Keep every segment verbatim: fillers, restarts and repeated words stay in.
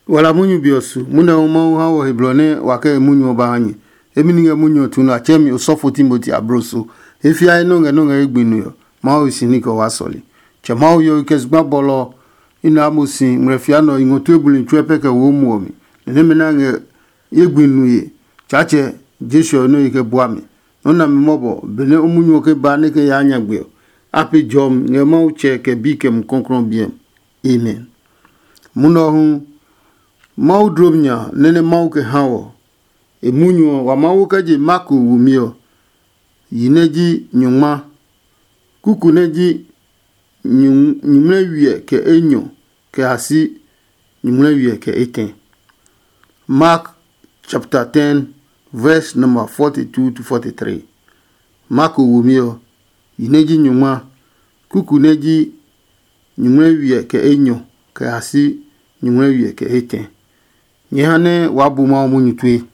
Wala munyu be ɔ su, munɛ hu Mawu ha wɔ he blɔ nɛ wa kɛ e munyu ɔ ba ha nyɛ. Emi ni ngɛ munyu ɔ tu nɛ a tsɛɛ mi osɔfo Timoti abloso. E fiae nɔ́ ngɛ nɔ́ ngɛ ye gbi nue ɔ, Mawu he si ní kɛ waa sɔle. Tsɛ Mawu yɔyi kɛ zugba bɔlɔ ɔ, i na mo si ngmlɛ fia nɛ ɔ, i ngɔ tue buli tsuɛ pɛ kɛ wo mu ɔ mi. Nɛ nɛmɛ nɛ a ngɛ ye gbi nue, Tsaatsɛ Jesu ɔ nɛ yi kɛ bua mi. Nɔ́ nami mɔbɔ, benɛ o munyu ɔ ke ba nɛ kɛ yaa nyagbe ɔ, a pe jɔmi ngɛ Mawu Tsɛ kɛ Bi kɛ Mumi Klɔuklɔu ɔ biɛ mi. Amen. Munɔ ɔ hu, Mawu dlom nya nɛ nɛ Mawu kɛ ha wɔ. E munyu ɔ, wa Mawu kɛ je Marko wumi ɔ, yi nɛ ji nyɔngma, kuku nɛ ji nyuŋmlɛ wiɛ kɛ enyɔ kɛ a si nyuŋmlɛ wiɛ kɛ etɛ. Mark chapter ten, verse number forty-two to forty-three. Marko wumi ɔ, yi nɛ ji nyɔngma, kuku nɛ ji nyuŋmlɛ wiɛ kɛ enyɔ kɛ a si nyuŋmlɛ wiɛ kɛ etɛ. Nyɛ ha nɛ waa bu Mawu munyu tue.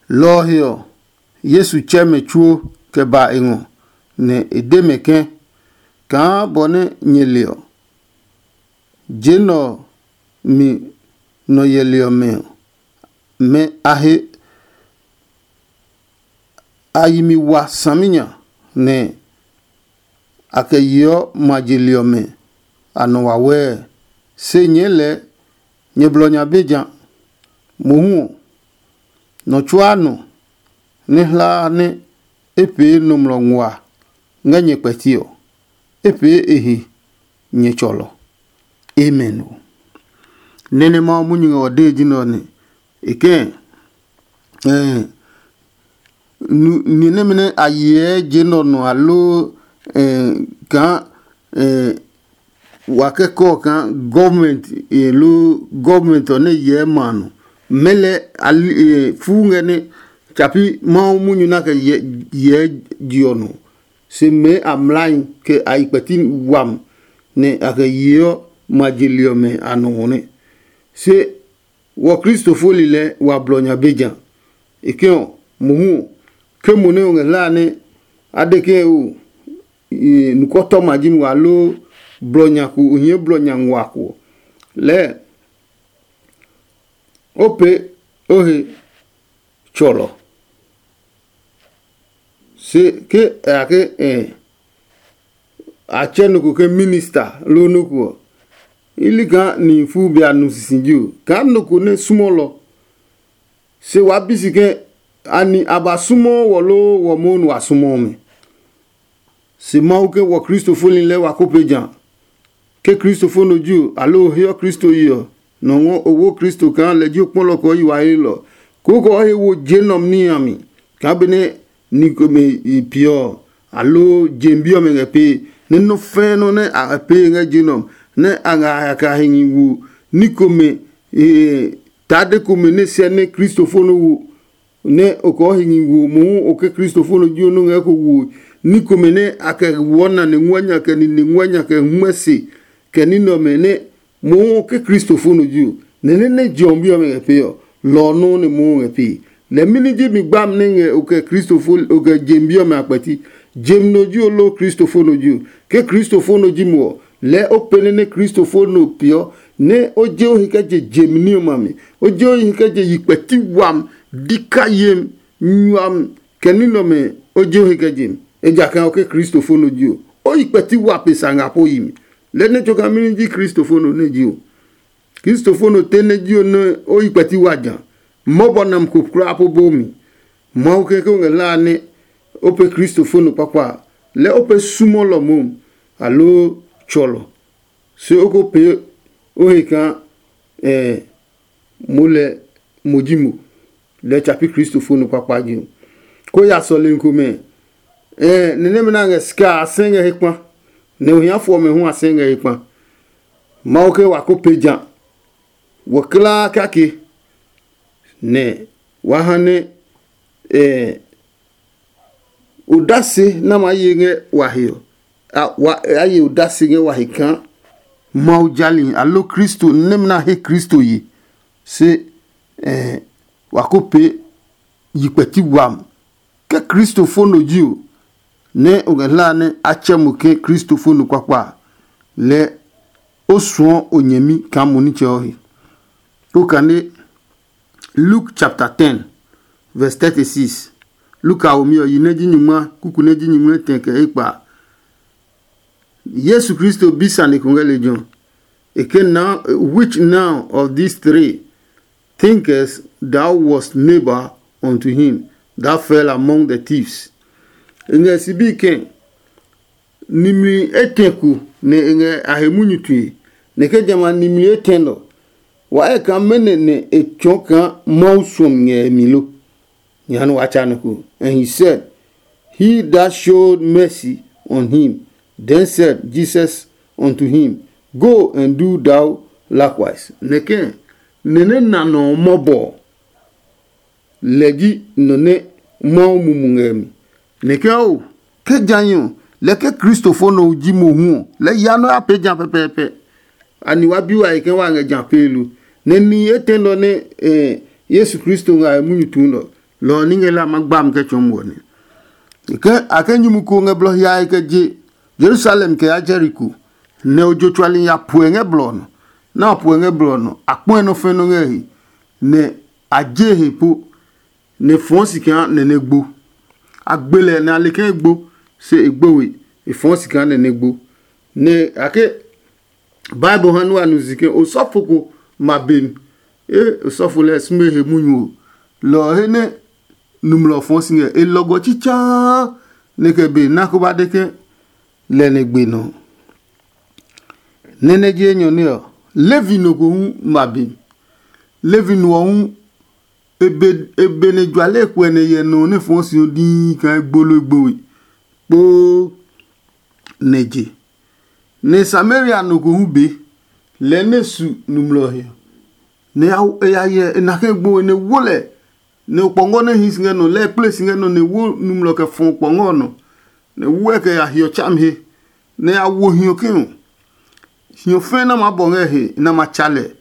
Lɔ ɔ he ɔ, Yesu tsɛ mɛ tsuo kɛ ba e ngɔ, nɛ e de mɛ ke, kaa bɔ nɛ nyɛ le ɔ, je nɛ ɔ mi nɔ yɛli ɔmɛ ɔ, mɛ a he a yi mi wa saminya, nɛ a kɛ yeɔ ma je li ɔmɛ a nɔ wawɛɛ. Se nyɛɛ lɛɛ nyɛ blɔ nya be ja. Mohu ɔ, nɔ tsuaa nɔ nɛ hlaa nɛ e pee nɔmlɔ nguaa ngɛ nyɛ kpɛti ɔ, e pee e he nyɛ tsɔlɔ. Amen ɔ. Nɛ́ nɛ Mawu munyu ngɛ ɔ dee ji nɛ ɔ nɛ e kɛ̃ ni nɛmɛ nɛ a yeɛ je nɛ ɔ nɔ aloo kaa wa kɛ kɔ kaa gɔvmɛnt loo gɔvmɛnt ɔ nɛ hyɛ ma a nɔ, mɛlɛ fuu ngɛ nɛ tsapi Mawu munyu nɛ a kɛ hyɛ je ɔ nɔ. Se mɛɛ a mlai kɛ a yi kpɛti wami nɛ a kɛ yeɔ ma je li ɔmɛ a nɔ ɔ nɛ. Se wɔ Kristo fo lilɛ wa blɔ nya be ja. E ke ɔ, mohu ɔ, ke mo nɛ o ngɛ hlaa nɛ a de ke o nukɔtɔma ji mi wa loo blɔ nya ko o hie blɔ nya nguaa ko ɔ, lɛɛ o pee o he tsɔlɔ. Se ke a ya ke a tsɛ nɔ ko ke minista loo nɔ ko ɔ, i li kaa nihi fuu be a nu sisiji o, kaa nɔ ko nɛ sumɔlɔ. Se waa bi si ke ani a ba sumɔɔ wɔ loo wɔ mohu nɛ wa sumɔɔ mɛ. Se Mawu ke wɔ Kristo fo lilɛ wa ko pe ja. Ke Kristo fo nɔ ji o, aloo o heɔ Kristo yi ɔ, nɔ ngɔ o wo Kristo kaa lɛ ji o kpɔlɔ kɛ o yi wa helɔ. Koo kɛ o he wo je nɔm níhi a mi, kaa benɛ ni komɛ i piɛ ɔ, aloo jem bi ɔmɛ ngɛ pee, nɛ nɔ́ fɛɛ nɔ́ nɛ a ngɛ pee ngɛ je nɔm, nɛ a ngɛ a he kɛ a he nyi wo ní komɛ tade komɛ nɛ sɛ nɛ Kristo fo nɔ wo. Nɛ o kɔɔ he nyi wo mohu o ke Kristo fo nɔ ji o nɔ́ ngɛ ko wo ní komɛ nɛ a kɛ woɔ nane nguanya kɛ nine nguanya kɛ hwɛ se kɛ ní nɛ ɔmɛ nɛ mohu o ke Kristo fo nɔ ji o. Nɛ nɛ nɛ je ɔ bi ɔmɛ ngɛ pee ɔ, lɔ ɔ nɔuu nɛ mohu ngɛ pee. Lɛ mɛni ji mi gbami nɛ ngɛ o kɛ Kristo fo o kɛ jem bi ɔmɛ a kpɛti? Jem nɔ ji o loo Kristo fo nɔ ji o? Ke Kristo fo nɔ ji mo ɔ, lɛɛ o pɛnɛ nɛ Kristo fo nɔ peeɔ, nɛ o je o he kɛ je jem ní ɔmɛ a mi. O je o he kɛ je yi kpɛti wami, di ka yemi, nyuami, kɛ ní nɛ ɔmɛ o je o he kɛ je mi. Ejakaa o ke Kristo fo nɔ ji o, o yi kpɛti wa pe sa nga po yi mi. Lɛɛ nɛ tso kaa mɛni ji Kristo fo nɔ nɛ ji o? Kristo fo nɔ te nɛ ji o nɛ o yi kpɛti wa ja. Mɔbɔ nam ko kulaa po bo mi. Mawu kɛkɛ o ngɛ hlaa nɛ o pe Kristo fo nɔ kpakpa a, lɛɛ o pe sumɔlɔ momi, aloo tsɔlɔ. Se o ko pee o he kaa mo lɛ mo ji mo, lɛ tsa pi Kristo fo nɔ kpakpa ji. Ko ya sɔlemi komɛ, nɛ nɛmɛ nɛ a ngɛ sika a, a sɛ ngɛ he kpa, nɛ ohiafo ɔmɛ hu a sɛ ngɛ he kpa. Mawu ke wa ko pe ja wɔ kulaa kake, nɛ wa ha nɛ odase nɛ a maa ye ngɛ wa he ɔ, a ye odase ngɛ wa he kaa Mawu jali aloo Kristo nɛmɛ nɛ a he Kristo ye. Se wa ko pee yi kpɛti wami. Ke Kristo fo nɔ ji o, nɛ o ngɛ hlaa nɛ a tsɛ mo ke Kristo fo nɔ kpakpa a, lɛɛ o suɔ o nyɛmi kaa mo nitsɛ ɔ he. O kane Luke chapter ten, verse thirty-six. Luka womi ɔ, yi nɛ ji nyingma, kuku nɛ ji nyingma etɛ kɛ ekpa. Yesu Kristo bi sane ko ngɛ lejɛ ɔ. E ke now, which now of these three thinkest thou wast neighbor unto him that fell among the thieves? E ngɛ sibi kɛ, nimli etɛ ko nɛ e ngɛ a he munyu tue, nɛ ke jamɛ a nimli etɛ nɛ ɔ, wa ɛ kaa mɛnɔ nɛ e tsɔɔ kaa Mawu suɔmi ngɛ e mi lo? Jehanɛ wa tsa nɔ ko. And he said, he that showed mercy on him. Then said Jesus unto him, go and do thou likewise. Nɛkɛ nɛ nɛ na nɔ ɔ mɔbɔ ɔ, lɛ ji nɔ nɛ Mawu mumu ngɛ mi. Nɛkɛ o, ke jã hi ɔ, lɛ ke kristofo nɔ ji mohu ɔ, lɛ ya nɔ ya pee jã pɛpɛɛpɛ. Ani wa bi wa he ke wa ngɛ jã pee lo? Nɛ nihi etɛ nɛ ɔ nɛ eh, Yesu Kristo ngɛ a he munyu tuu nɛ ɔ, lɔ ɔ ní ngɛ la ma gba mi kɛ tsɔɔ muɔ nɛ. Ke a ke nyumu ko ngɛ blɔ hiae kɛ je Yerusalem kɛ ya Jeriko, nɛ ojo tsuali ya puɛ ngɛ blɔ ɔ nɔ. Nɛ a puɛ ngɛ blɔ ɔ nɔ, a kpɔe nɔ fɛ nɔ ngɛ he, nɛ a je he po, nɛ e fɔɔ si kaa nɛ nɛ gbo. A gbe lɛ nɛ a le kaa e gbo, se e gbo we, e fɔɔ si kaa nɛ nɛ gbo. Nɛ a ke Bible ha nua nu si ke osɔfo ko ma be mi. E osɔfo lɛ sume he munyu ɔ, lɔ ɔ he nɛ numlɔ fɔɔ si ngɛ e lɔgɔ tsitsaa nɛ kɛ be na ko ba de ke lɛ nɛ gbe nɔ. Nɛ nɛ je enyɔ nɛ ɔ, Levi no ko hu ma be mi. Levi no ɔ hu e be e be nɛ juale kuɛ nɛ hyɛ nɔ nɛ fɔɔ si ɔ dii kaa e gbo loo e gbo we kpoo nɛ je. Nɛ Samaria no ko hu be lɛɛ nɛ su numlɔ he ɔ, nɛ e ya hyɛ e na kɛ gbo we nɛ wo lɛ, nɛ okpɔngɔ nɛ hi si ngɛ nɔ lɛ e kple si ngɛ nɔ nɛ wo numlɔ kɛ fɔ okpɔngɔ ɔ nɔ, nɛ wo ɛ kɛ ya hiɔ tsami he, nɛ ya wo hiɔ ke ɔ, hiɔ fɛɛ nɛ ma bɔ ngɛ he nɛ ma tsa lɛ.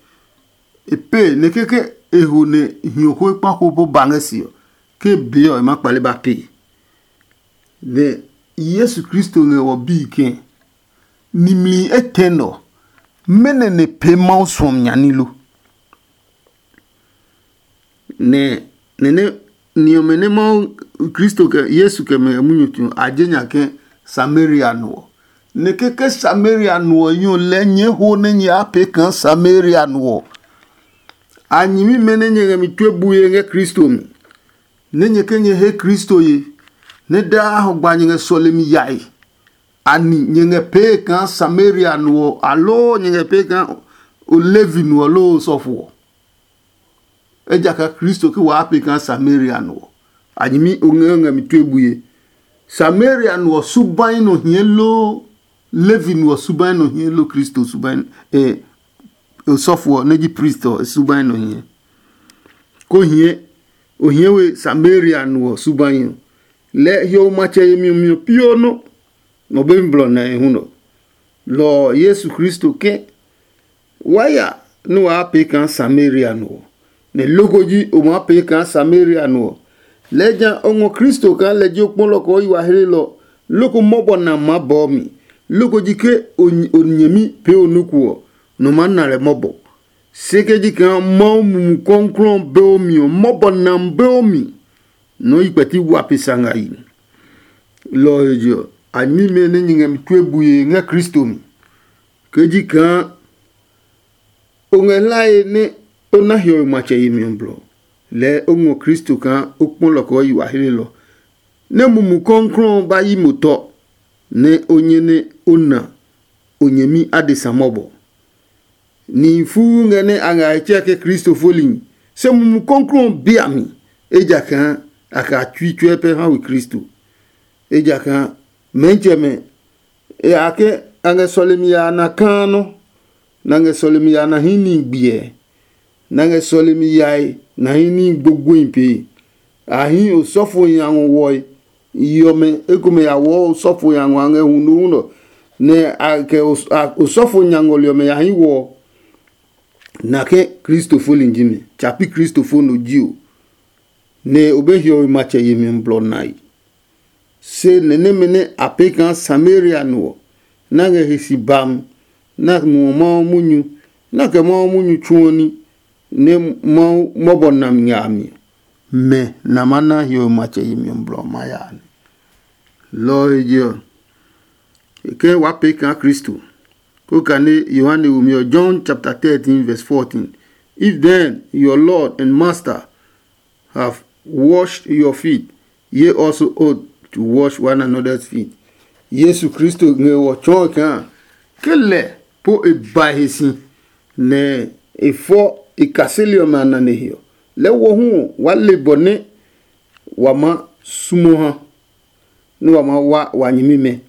E pee nɛ keke e ho nɛ hiɔ ko kpa ko po ba ngɛ se ɔ, ke bee ɔ e ma kpale ba pee. Nɛ Yesu Kristo ngɛ wɔ bii ke nimli etɛ nɔ, mɛnɔ nɛ pee Mawu suɔmi nya ní lo? Nɛ nɛ nɛ ni ɔmɛ nɛ Mawu Kristo kɛ Yesu kɛ mɛ ngɛ munyu tsu ɔ, a je nya ke Samaria no ɔ. Nɛ keke Samaria no ɔ yi ɔ lɛɛ nyɛɛ ho nɛ nyɛ ya pee kaa Samaria no ɔ. A nyɛmimɛ nɛ nyɛ ngɛ mi tue bue ngɛ Kristo mi, nɛ nyɛ ke nyɛ he Kristo ye, nɛ daa hɔgba nyɛ ngɛ sɔlemi yae. Ani nyɛ ngɛ pee kaa Samaria no ɔ, aloo nyɛ ngɛ pee kaa o Levi no ɔ loo osɔfo ɔ? Ejakaa Kristo ke waa pee kaa Samaria no ɔ, a nyɛmi o ngɛ ngɛ mi tue bue. Samaria no ɔ subai nɔ hiɛ loo, Levi no ɔ subai nɔ hiɛ loo, Kristo subai, eh, osɔfo ɔ nɛ ji priest ɔ subai nɔ hiɛ? Ko hiɛ, o hiɛ we Samaria no ɔ subai ɔ. Lɛ hiɔwe matsɛ yemi ɔ miɔ pioo nɔ, nɔ be mi blɔ na e hu nɔ. Lɔ ɔ Yesu Kristo ke, wa ya nɛ waa pee kaa Samaria no ɔ, nɛ loko ji o maa pee kaa Samaria no ɔ. Lɛɛ ja o ngɔ Kristo kaa lɛ ji o kpɔlɔ kɛ o yi wa hlelɔ, loko mɔbɔ na maa bɔɔ mi. Loko ji ke o nyɛmi pee o nuku ɔ, nɔ maa na lɛ mɔbɔ. Se ke ji kaa Mawu Mumi Klɔuklɔu ɔ be o mi ɔ, mɔbɔ nam be o mi, nɔ́ yi kpɛti wa pe sa nga yi. Lɔ ɔ he je ɔ, a nyɛmimɛ nɛ nyɛ ngɛ mi tue bue ngɛ Kristo mi. Ke ji kaa o ngɛ hlae nɛ o na hiɔwe matsɛ yemi ɔ blɔ, lɛɛ o ngɔ Kristo kaa o kpɔ lɔ kɛ o yi wa hlelɔ, nɛ Mumi Klɔuklɔu ɔ ba yi mo tɔ, nɛ o nyɛ nɛ o na o nyɛmi adesa mɔbɔ. Nihi fuu ngɛ nɛ a ngɛ a he tsɛɛ ke Kristo folihi, se Mumi Klɔuklɔu ɔ bi a mi, ejakaa a kɛ a tsui tsuɛ pɛ ha we Kristo. Ejakaa mɛnitsɛmɛ, e a ke a ngɛ sɔlemi ya a na kaa nɔ, nɛ a ngɛ sɔlemi ya a na hii níhi gbiɛ, nɛ a ngɛ sɔlemi yae na hii níhi gbogboehi pee. A hii osɔfo nya ngɔ wɔe, yi ɔmɛ ekomɛ ya wɔɔ osɔfo nya ngɔ a ngɛ huno nɔ, nɛ a kɛ osɔfo nya ngɔli ɔmɛ ya hii wɔ ɔ. Na ke Kristo fo li ji mi, tsa pi Kristo fo no ji o, nɛ o be hiɔwe matsɛ yemi ɔ blɔ nae. Se nɛ nɛmɛ nɛ a pee kaa Samaria no ɔ, nɛ a ngɛ he si bam, nɛ a muɔ Mawu munyu, nɛ a kɛ Mawu munyu tsuɔ ní, nɛ Mawu mɔbɔ nami ngɛ a mi ɔ, mɛ nɛ a maa na hiɔwe matsɛ yemi ɔ blɔ ɔ maa ya a nɛ. Lɔ ɔ he je ɔ, e ke waa pee kaa Kristo. Ko kane Yohane womi ɔ, John chapter thirteen verse fourteen. If then your Lord and Master have washed your feet, ye also ought to wash one another's feet. Yesu Kristo ngɛ wɔ tsɔɔ kaa ke lɛ po e ba he si, nɛ e fɔ e kaseli ɔmɛ a nane he ɔ, lɛ wɔ hu ɔ wa le bɔ nɛ wa ma sumo ha, nɛ wa ma wa wa nyɛmimɛ.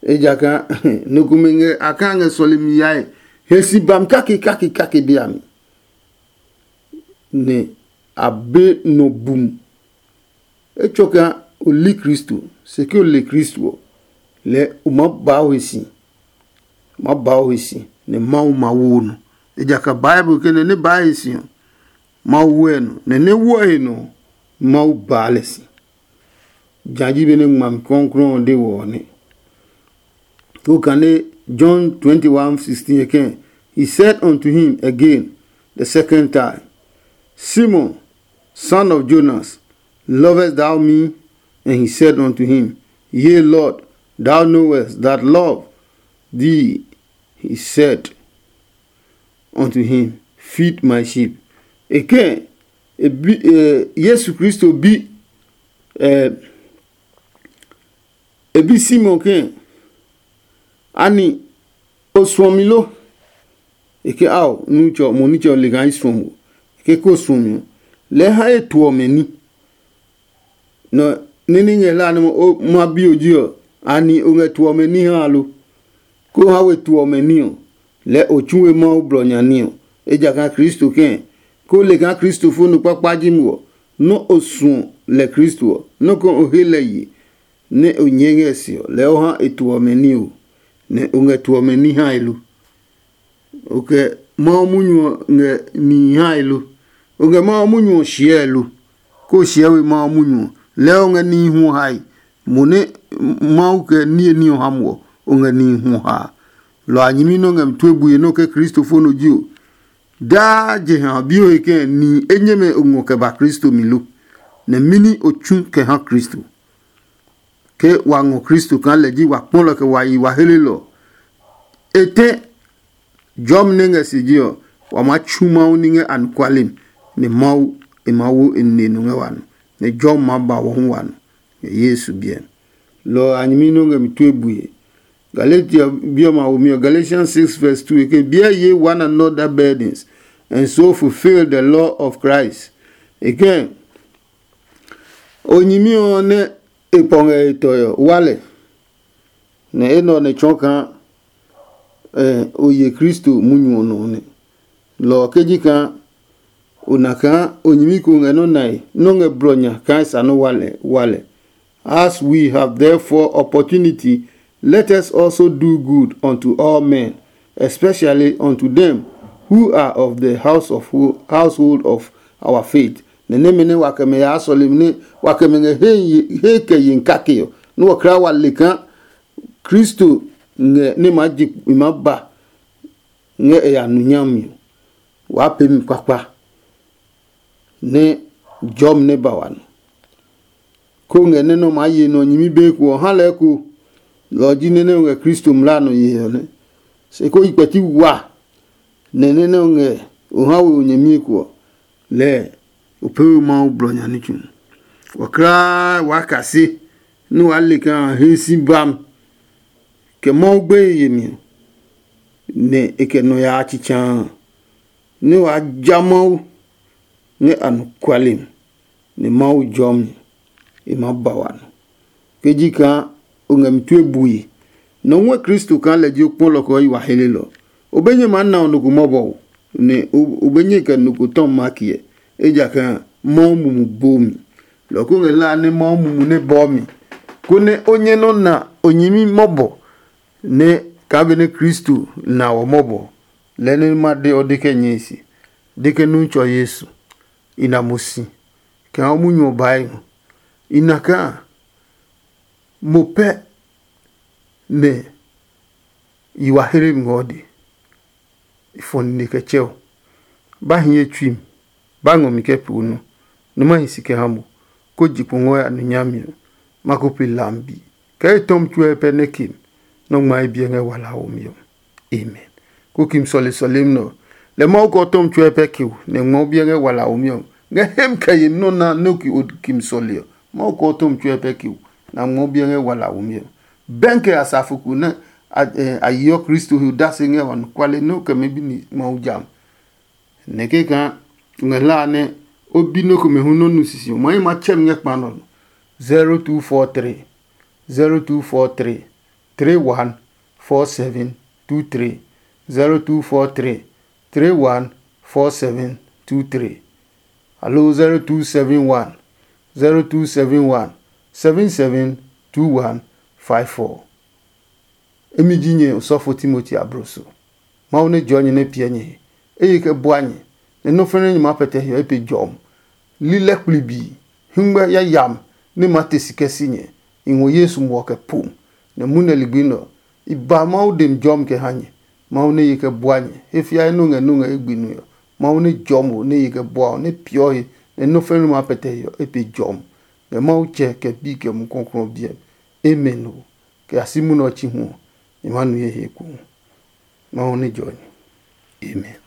Ejakaa nɔ komɛ ngɛ a kaa ngɛ sɔlemi yae he si bami kake kake kake be a mi, nɛ a be nɔ bum. Etsɔ kaa o li Kristo, se ke o le Kristo ɔ, lɛɛ o maa baa o he si, o maa baa o he si, nɛ Mawu ma wo o nɔ. Ejakaa Bible ke nɛ nɛ baa he si ɔ, Mawu wɛ nɔ, nɛ nɛ wɔ he nɔ ɔ, Mawu baa lɛ si. Jã ji benɛ ngmami kɔklɔɔ ɔ de wɔ ɔ nɛ. Ko kane John twenty-one sixteen again, he said unto him again the second time, Simon, son of Jonas, lovest thou me? And he said unto him, Yea, Lord, thou knowest that love thee. He said unto him, Feed my sheep. Again, e bi, eh, Yesu Kristo bi, eh, e bi Simon ke, ani o suɔ mi lo? E ke, ao, nitsɛ ɔ, mo nitsɛ ɔ le kaa i suɔ mo. E ke ko suɔ mi ɔ, lɛɛ ha ye tuɔ mɛ ní. Nɔ nɛ ní ngɛ hlaa nɛ ma bi o ji ɔ, ani o ngɛ tuɔ mɛ ní ha lo? Ko ha we tuɔ mɛ ní ɔ, lɛɛ o tsu we Mawu blɔ nya ní ɔ. Ejakaa Kristo kɛ̃, ko le kaa kristofo nɔ kpakpa ji mo ɔ, nɔ́ o suɔ lɛ Kristo ɔ, nɔ́ ko o he lɛ ye, nɛ o nyɛɛ ngɛ se ɔ, lɛɛ o ha e tuɔ mɛ ní o, nɛ o ngɛ tuɔ mɛ ní hae lo? O kɛ Mawu munyu ɔ ngɛ nihi hae lo? O ngɛ Mawu munyu ɔ shiɛe lo? Ko o shiɛ we Mawu munyu ɔ, lɛɛ o ngɛ nihi hu ɔ hae. Mo nɛ Mawu kɛ niye ní ɔ ha mo ɔ, o ngɛ nihi hu ɔ haa. Lɔ a nyɛmi nɛ o ngɛ mi tue bue nɛ o ke kristofo nɔ ji o. Daa jeha ɔ bi o he kɛ̃ nihi enyɛmɛ o ngɔ kɛ ba Kristo mi lo? Nɛ mɛni o tsu kɛ ha Kristo? Ke wa ngɔ Kristo kaa lɛ ji wa kpɔ lɛ kɛ wa yi wa helelɔ. E tɛ jɔmi nɛ ngɛ se ji ɔ, wa maa tsu Mawu ní ngɛ anɔkuale mi, nɛ Mawu e maa wo e nine nɔ ngɛ wa nɔ, nɛ jɔmi maa ba wɔ hu wa nɔ, ngɛ Yesu biɛ mi. Lɔ ɔ a nyɛmi nɛ o ngɛ mi tue bue. Galatia bi ɔmɛ a womi ɔ, Galatians six verse two, e ke, Bear ye one another burdens, and so fulfill the law of Christ. E ke, o nyɛmi ɔ nɛ e pɔ ngɛ e tɔe ɔ, wa lɛ, nɛ enɛ ɔ nɛ tsɔɔ kaa o ye Kristo munyu ɔ nɔ nɛ. Lɔ ɔ ke ji kaa o na kaa o nyɛmi ko ngɛ nɔ́ nae nɔ́ ngɛ blɔ nya kaa e sa nɔ́ wa lɛ wa lɛ. As we have therefore opportunity, let us also do good unto all men, especially unto them who are of the house of household of our faith. Nɛ nɛmɛ nɛ wa kɛ mɛ yaa sɔlemi nɛ wa kɛ mɛ ngɛ he kɛ yen kake ɔ, nɛ wɔkra wa le kaa Kristo ngɛ nɛ maa je i maa ba ngɛ e ya nu nyami ɔ, waa pee mi kpakpa nɛ jɔmi nɛ ba wa nɔ. Ko ngɛ nɛ nɛ o maa ye nɔ nyɛmi be ko ɔ, ha lɛɛ ko. Lɔ ɔ ji nɛ nɛ o ngɛ Kristo mlaa nɔ yee ɔ nɛ. Se ko yi kpɛti wa nɛ nɛ nɛ o ngɛ o ha we o nyɛmi ko ɔ, lɛɛ o pee we Mawu blɔ nya ní tsu. Wɔkraa waa kase nɛ waa le kaa he si bami kɛ Mawu gbeye yemi ɔ, nɛ e kɛ nɔ yaa tsitsaa nɛ waa ja Mawu ngɛ anɔkuale mi, nɛ Mawu jɔmi e maa ba wa nɔ. Ke ji kaa o ngɛ mi tue bue, nɔ ngɔɛ Kristo kaa lɛ ji o kpɔlɔ kɛ o yi wa helelɔ. O be nyɛ maa na o nɔ ko mɔbɔ o, nɛ o be nyɛ kɛ nɔ ko tɔmi ma kiɛ, ejakaa Mawu mumi boo mi. Lɔ ko ngɛ hlaa nɛ Mawu mumi nɛ bɔɔ mi, konɛ o nyɛ nɔ́ na o nyɛmi mɔbɔ nɛ kaa benɛ Kristo na wɔ mɔbɔ, lɛɛ nɛ ma de ɔ de kɛ nyɛe se, de ke Nutsɔ Yesu, i na mo si kaa o munyu ɔ bae ngɔ. I na kaa mo pɛ nɛ Yi wa hle mi ngɔ de. I fɔ nine kɛ tsɛ o. Ba hiɛ tsui mi. Ba ngɔ mi kɛ pee o nɔ. Nɔ ma hi si kɛ ha mo. Ko je kpo ngɔ ya nu nyami ɔ. Ma ko pe lam bi. Kɛ e tɔmi tsuɛ pɛ nɛ ke mi. Nɔ ngma e biɛ ngɛ wala wo mi ɔ. Amen. Ko kim sɔle sɔlemi nɛ ɔ, lɛ Mawu kɛ ɔ tɔmi tsuɛ pɛ ke o nɛ ngmɔ biɛ ngɛ wala wo mi ɔ. Ngɛ hem kɛ yemi nɔ na nɛ o ki o kim sɔle ɔ, Mawu kɛ ɔ tɔmi tsuɛ pɛ ke o na ngmɔ biɛ ngɛ wala wo mi ɔ. Bɛnkɛ asafo ko nɛ a yeɔ Kristo he odase ngɛ anɔkuale nɛ o kɛ mɛ bi ni Mawu jam. Nɛ kɛkaa ngɛ hla nɛ o bi nɔ́ komɛ hu nɔ́ nu sisi ɔ, ma yi ma tsɛ mi ngɛ kpa nɔ. Zero two four three, zero two four three, three one four seven two three, zero two four three, three one four seven two three, aloo zero two seven one, zero two seven one, seven seven two one five four. Emi ji nyɛ osɔfo Timoti abloso. Mawu nɛ jɔɔ nyɛ nɛ piɛ nyɛ he. Eye kɛ bua nyɛ, nɛ nɔ́ fɛnɛ nyɛ maa pɛtɛ hiɔ e pe jɔmi. Lilɛ kplibii, hingmɛ yayami nɛ ma te si kɛ si nyɛ. I ngɔ Yesu muɔ kɛ pom, nɛ munɛ ligbi nɛ ɔ, i ba Mawu demi jɔmi kɛ ha nyɛ. Mawu nɛ ye kɛ bua nyɛ, he fiae nɔ́ ngɛ nɔ́ ngɛ ye gbi nue ɔ. Mawu nɛ jɔɔ mo nɛ ye kɛ bua ɔ nɛ piɔ he, nɛ nɔ́ fɛnɛ maa pɛtɛ hiɔ e pe jɔmi. Ngɛ Mawu Tsɛ kɛ Bi kɛ Mumi Klɔuklɔu ɔ biɛ mi. Amen ɔ. Kɛ ya si munɛ ɔ tsi hu ɔ, nyɛ ma nu ye he ekohu. Mawu nɛ jɔɔ nyɛ. Amen.